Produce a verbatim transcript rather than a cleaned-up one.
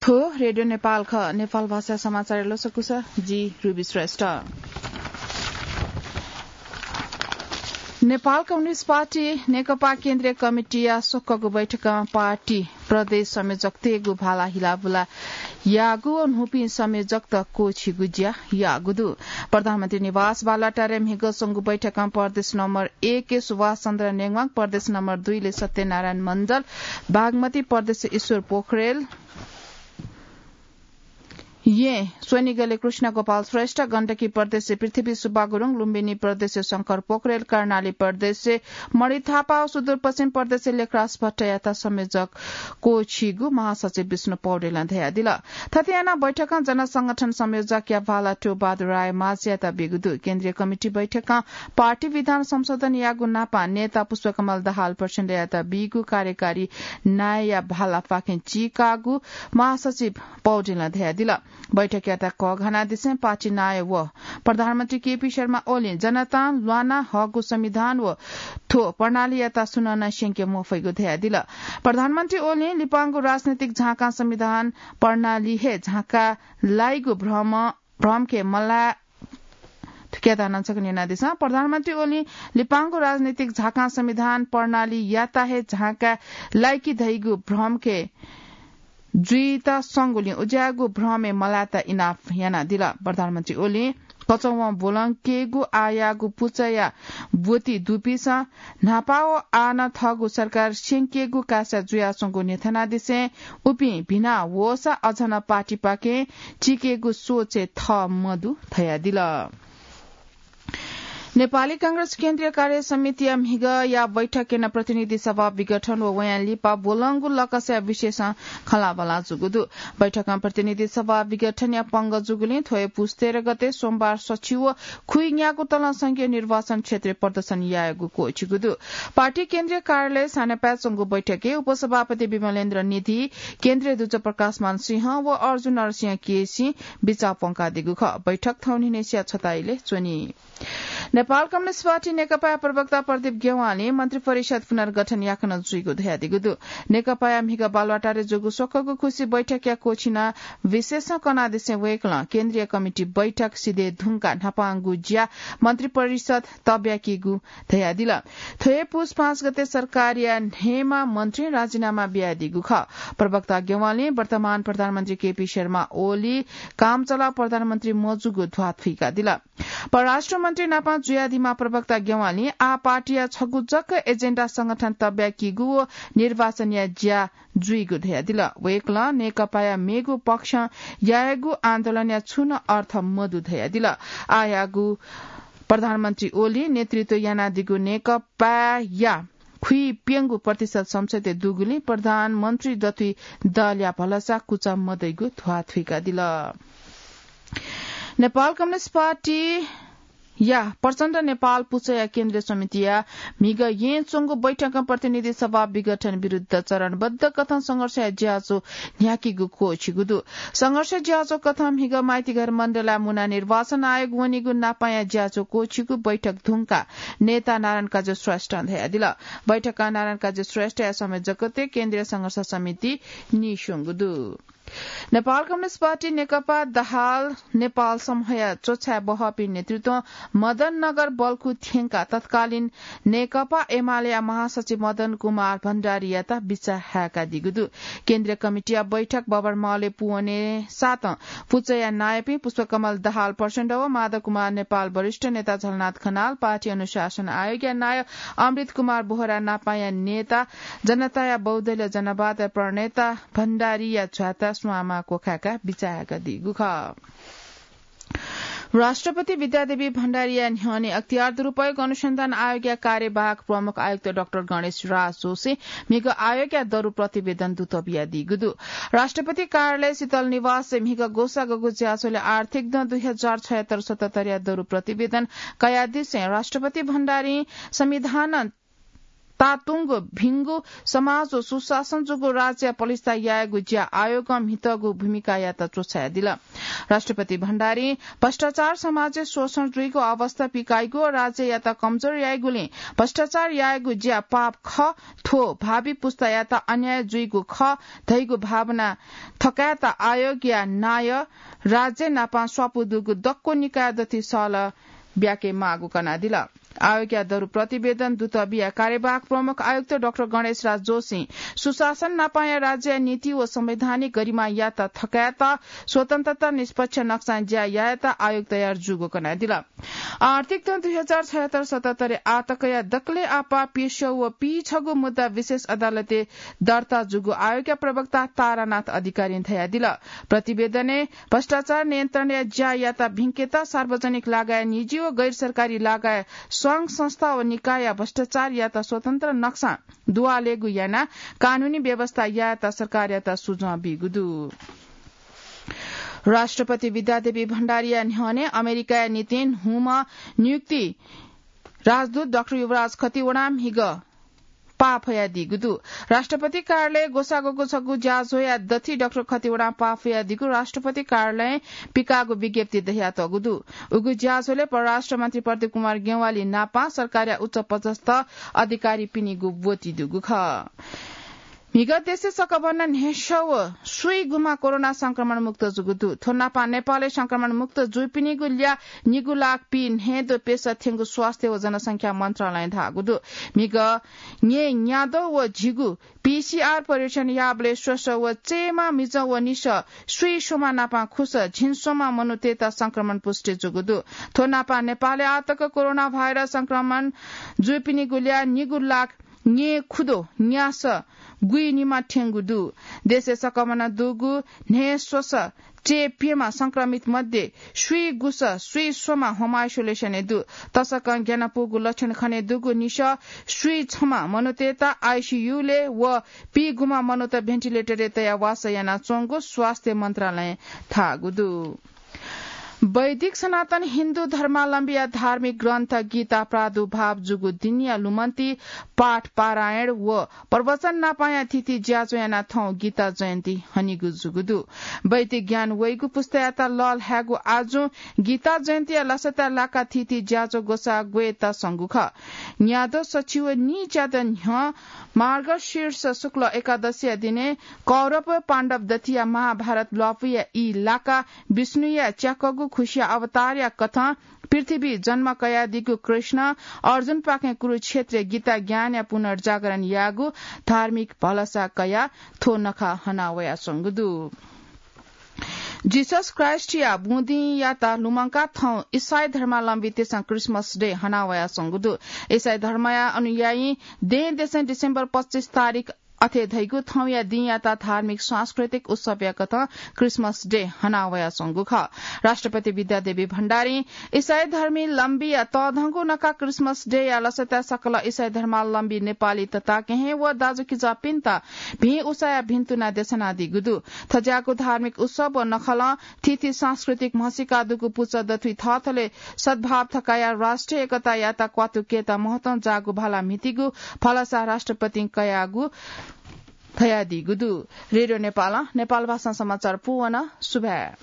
थ्व रेडियो नेपाल खः। नेपाल भाषा समाचार लसकुस, जि रुबी श्रेष्ठ। नेपाल कम्युनिस्ट पार्टी नेकपा केन्द्रीय कमिटीया स्वक्वःगु बैठकं पार्टी प्रदेश संयोजकतय्गु भाला हिलाबुला याःगु व न्हूपिं संयोजकत क्वःछीगु ज्या याःगु दु। प्रधानमन्त्री निवास बालुवाटारय् म्हिगः स्वंगु बैठकं प्रदेश नम्बर एक सुभाष चन्द्र नेवाङ, प्रदेश नम्बर दुई ले सत्यनारायण मण्डल, बागमती प्रदेश ईश्वर पोखरेल, येँ स्वनिगले कृष्ण गोपाल श्रेष्ठ, गण्डकी प्रदेश पृथ्वी सुब्बा गुरुङ, लुम्बिनी प्रदेश शंकर पोखरेल, कर्णाली प्रदेश मणि थापा व सुदूरपश्चिम प्रदेश लेखराज भट्टयात संयोजक क्वःछीगु महासचिव विष्णु पौडेलं धयादिल। थथे यानाः बैठकं जनसंगठन संयोजकया भाला टोबहादुर राय माझ्यात बीगु दु। केन्द्रीय कमिटी बैठकं पार्टी विधान संशोधन याःगु नापं नेता पुष्पकमल दाहाल प्रचण्डयात बीगु कार्यकारी नायःया भालापाखें चीकाःगु महासचिव पौडेलं धयादिल। बैठकयात कःघानादिसें पार्टी नायः व प्रधानमन्त्री केपी शर्मा ओलीं जनतां ल्वाना हःगु संविधान व थ्व प्रणालीयात सुनं नं स्यंके मफइगु धयादिल। प्रधानमन्त्री ओलीं लिपांगु राजनैतिक झाँकां संविधान प्रणाली हे झाँका लाइगु भ्रम, भ्रमखे मला थुकियात नं छकः न्यनादिसँ। प्रधानमन्त्री ओलीं लिपांगु राजनैतिक झाँकां संविधान प्रणालीयात हे झाँका लाइकी धइगु भ्रमखे जुइत संगुलिं उज्याःगु भ्रमय् मलायेत इनाप यानादिल। प्रधानमन्त्री ओलीं कचवं ब्वलंकेगु आःयाःगु पुचःया ब्वति दुपिसं न्हापा व आः नं थःगु सरकार स्यंकेगु कासा जुयाच्वंगु न्ह्यथनादिसें उपिं भिना वःसा अझ नं पार्टीपाखें चीकेगु सोचय् थः मदु धयादिल। नेपाली कांग्रेस केन्द्रीय कार्य समितिया म्हिगःया बैठकय् नं प्रतिनिधि सभा विघटन व वयां लिपा ब्वलंगु लकसया विषयसं खँल्हाबल्हा जूगु दु। बैठकं प्रतिनिधि सभा विघटनया पंगः जूगुलिं थ्व हे पुस तेह्र गते सोमबार सछि व खुइन्यागू तलं संघीय निर्वाचन क्षेत्रय् प्रदर्शन यायेगु क्वःछिगु दु। पार्टी केन्द्रीय कार्यालय सानेपाय् च्वंगु बैठकय् उपसभापति विमलेन्द्र निधि, केन्द्रीय दुजः प्रकाशमान सिंह व अर्जुन नरसिंह केसीं बिचाः प्वंकादीगु खः। बैठक थौंनिन्हय्सिया छताइले च्वनी। नेपाल कम्युनिस्ट पार्टी नेकपाया प्रवक्ता प्रदीप गेवालीं मन्त्रिपरिषद पुनर्गठन याकनं जुइगु धयादीगु दु। नेकपाया म्हिगः बालुवाटारय् जूगु स्वक्वःगु खुसी बैठकया क्वःछिना विशेषं कनादिसें वय्कलं केन्द्रीय कमिटी बैठक सिधये धुंकाः न्हापांगु ज्या मन्त्रिपरिषद तब्याकीगु धयादिल। थ्व हे पुस पाँच गते सरकारया न्हय्मा मन्त्रीं राजीनामा बियादीगु खः। प्रवक्ता गेवालीं वर्तमान प्रधानमन्त्री केपी शर्मा ओली कामचलाउ प्रधानमन्त्री मजूगु ध्वाथुइकादिल। परराष्ट्र मन्त्री नाप जुयादीम्ह प्रवक्ता गेवालीं आः पार्टीया छगू जक एजेन्डा संगठन तब्याकीगु व निर्वाचनया ज्या जुइगु धयादिल। वय्कलं नेकपाया मेगु पक्षं यायेगु आन्दोलनया छुं नं अर्थ मदु धयादिल। आःयागु प्रधानमन्त्री ओलीं नेतृत्व यानादीगु नेकपाया खुइप्यंगू प्रतिशत संसदय् दुगुलिं प्रधानमन्त्री दथुइ दलया भलसा कुचा मदइगु ध्वाथुइकादिल। नेपाल कम्युनिस्ट पार्टीया प्रचण्ड नेपाल पुचःया केन्द्रीय समितिया म्हिगः येँ च्वंगु बैठकं प्रतिनिधि सभा विघटन विरुद्ध चरणबद्ध कथं संघर्षया ज्याझ्वः न्ह्याकीगु क्वःछिगु दु। संघर्ष ज्याझ्वः कथं म्हिगः माइतीघर मण्डलय् मुना निर्वाचन आयोग वनीगु नापंया ज्याझ्वः क्वःछिगु बैठक धुंकाः नेता नारायण काजी श्रेष्ठं धयादिल। बैठकं नारायण काजी श्रेष्ठया संयोजकत्वय् केन्द्रीय संघर्ष समिति नीस्वंगु दु। नेपाल कम्युनिस्ट पार्टी नेकपा दाहाल नेपाल समूहया च्वछाय् बहःपिं नेतृत्वं मदन नगर बल्खु थ्यंकाः तत्कालीन नेकपा एमालेया महासचिव मदन कुमार भण्डारीयात बिचाः हाय्कादीगु दु। केन्द्रीय कमिटीया बैठक बबरमहलय् पूवनेसातं पुचःया नायःपिं पुष्पकमल दाहाल प्रचण्ड व माधव कुमार नेपाल, वरिष्ठ नेता झलनाथ खनाल, पार्टी अनुशासन आयोगया नायः अमृत कुमार बोहरा नापंया नेता जनताया बहुदलीय जनवाद प्रणेता भण्डारीया झ्वाता स्वांमा क्वखाय्काः बिचाः हाय्कादीगु खः। राष्ट्रपति विद्यादेवी भण्डारीया न्ह्यःने अख्तियार दुरुपयोग अनुसन्धान आयोगया कार्यवाहक प्रमुख आयुक्त डाक्टर गणेश राज जोशीं म्हिगः आयोगया दरु प्रतिवेदन दुत बियादीगु दु। राष्ट्रपति कार्यालय शीतल निवासय् म्हिगः ग्वसाः गःगु ज्याझ्वलय् आर्थिक दँ दुई हजार छयत्तर सतहत्तरया दरु प्रतिवेदन कयादिसें राष्ट्रपति भण्डारीं संविधानं तातुंगु भिंगु समाज व सुशासन जूगु राज्य पलिस्था यायेगु ज्या आयोगं म्हितःगु भूमिकायात च्वछायादिल। राष्ट्रपति भण्डारीं भ्रष्टाचार समाजय् शोषण जुइगु अवस्था पिकाइगु व राज्ययात कमजोर याइगुलिं भ्रष्टाचार यायेगु ज्या पाप खः, थ्व भावी पुस्तायात अन्याय जुइगु खः धइगु भावना थकायेत आयोगया नायः राज्य नापं स्वापू दुगु दक्व निकाय दथुइ सहलह ब्याके माःगु कनादिल। आयोगया दरु प्रतिवेदन दुत बिया कार्यवाहक प्रमुख आयुक्त डाक्टर गणेश राज जोशीं सुशासन नापंया राज्यया नीति व संवैधानिक गरिमायात थकायेत स्वतन्त्रता निष्पक्ष नक्सां ज्या यायेत आयोग तयार जूगु कनादिल। आर्थिक तं दुई हजार छयहत्तर सतहत्तरय् आतकया दकलय् आपाः पीस्यू व पीछगू मुद्दा विशेष अदालतय् दर्ता जूगु आयोगया प्रवक्ता तारानाथ अधिकारीं धयादिल। प्रतिवेदनय् भ्रष्टाचार नियन्त्रणया ज्यायात भिंकेत सार्वजनिक लगायत निजी व गैर सरकारी लगायत संघ संस्था व निकायया भ्रष्टाचारयात स्वतन्त्र नक्सां दुवालेगु यानाः कानूनी व्यवस्था यायेत सरकारयात सुझाव बीगु दु। राष्ट्रपति विद्यादेवी भण्डारीया न्ह्यःने अमेरिकाया निंतिं हुमं नियुक्त राजदूत डाक्टर युवराज खतिवडां म्हिगः पाः फयादीगु दु। राष्ट्रपति कार्यालयय् ग्वसाः ग्वःगु छगू ज्याझ्वःया दथुइ डाक्टर खतिवडां पाः फयादीगु राष्ट्रपति कार्यालयं पिकाःगु विज्ञप्तिइ धयातःगु दु। उगु ज्याझ्वलय् परराष्ट्र मन्त्री प्रदीप कुमार ज्ञवाली नापं सरकारया उच्च पदस्थ अधिकारीपिनिगु ब्वति दुगु खः। म्हिगः देशय् सकभनं न्हय्‌सः व स्वीगुम्ह कोरोना संक्रमण मुक्त जूगु दु। थ्व नापं नेपालय् संक्रमण मुक्त जूपिनिगु ल्याः निगू लाख पीन्हय्‌द्वः प्यसः थ्यंगु स्वास्थ्य व जनसंख्या मन्त्रालयं धाःगु दु। म्हिगः न्हय्‌न्याद्वः व झिगू पीसीआर परीक्षण याःबलय् स्वसः व चयेमा मिजं व निसः स्वीस्वम्ह नापं खुसः झिंस्वम्ह मनूतय्‌त संक्रमण पुष्टि जूगु दु। थ्व नापं नेपालय् आःतक कोरोना भाइरस संक्रमण जूपिनिगु ल्याः निगू लाख न्हय्‌खुद्वः न्यासः गुइनिम्ह थ्यंगु दु। देशय् सकभनं दुगु न्हय्‌स्वसः चय्‌प्यम्ह संक्रमित मध्ये स्वीगुसः स्वीस्वम्ह होम आइसोलेसनय् दु। तसकं ग्यानापुगु लक्षण खनेदुगु निसः स्वीछम्ह मनूतय्‌त आइसीयूलय् व पीगुम्ह मनूत भेन्टिलेटरय् तयाः वासः यानाच्वंगु स्वास्थ्य मन्त्रालयं धाःगु दु। वैदिक सनातन हिन्दू धर्मावलम्बीया धार्मिक ग्रन्थ गीता प्रादुर्भाव जूगु दिनया लुमन्ति पाठ पारायण व प्रवचन नापंया थीथी ज्याझ्वः यानाः थौं गीता जयन्ती हनीगु जूगु दु। वैदिक ज्ञान वइगु पुस्तायात लःल्हायेगु आजुं गीता जयन्तीया लसताय् लाकाः थीथी ज्याझ्वः ग्वसाः ग्वयेत संगु खः। न्याद्वः सछि व नीच्यादँ न्ह्यः मार्गशीर्ष शुक्ल एकादशीया दिनय् कौरव व पाण्डव दथुया महाभारत ल्वापुया ई लाकाः विष्णुया च्याकःगु खुसिया अवतारया कथं पृथ्वीइ जन्म कयादीगु कृष्णं अर्जुनपाखें कुरुक्षेत्रय् गीता ज्ञानया पुनर्जागरण याःगु धार्मिक भलसा कयाः थ्व नखः हना वयाच्वंगु दु। जीसस क्राइस्टया बुँदिंयात लुमंकाः थौं इसाई धर्मावलम्बीतय्‌सं Christmas Day हना वयाच्वंगु दु। इसाई धर्मया अनुयायीं दँय्‌दसं डिसेम्बर पच्चिस तारिख अथे धइगु थौंया दिंयात धार्मिक सांस्कृतिक उत्सवया कथं Christmas Day हना वयाच्वंगु खः। राष्ट्रपति विद्यादेवी भण्डारीं इसाई धर्मावलम्बीया तःधंगु नखः Christmas Day या लसताय् सकल इसाई धर्मावलम्बी नेपाली तताकेहेँ व दाजुकिजापिन्त भिं उसाँय्‌या भिन्तुना देछानादीगु दु। थज्याःगु धार्मिक उत्सव व नखलं थीथी सांस्कृतिक म्हसीका दुगु पुचः दथुइ थःथलय् सद्भाव थकायाः राष्ट्रिय एकतायात क्वातुकेत महत्वं जाःगु भाला म्हितीगु भलसा राष्ट्रपतिं कयागु धयादीगु दु। रेडियो नेपालं नेपाल भाषां समाचार पूवन। सुभाय्।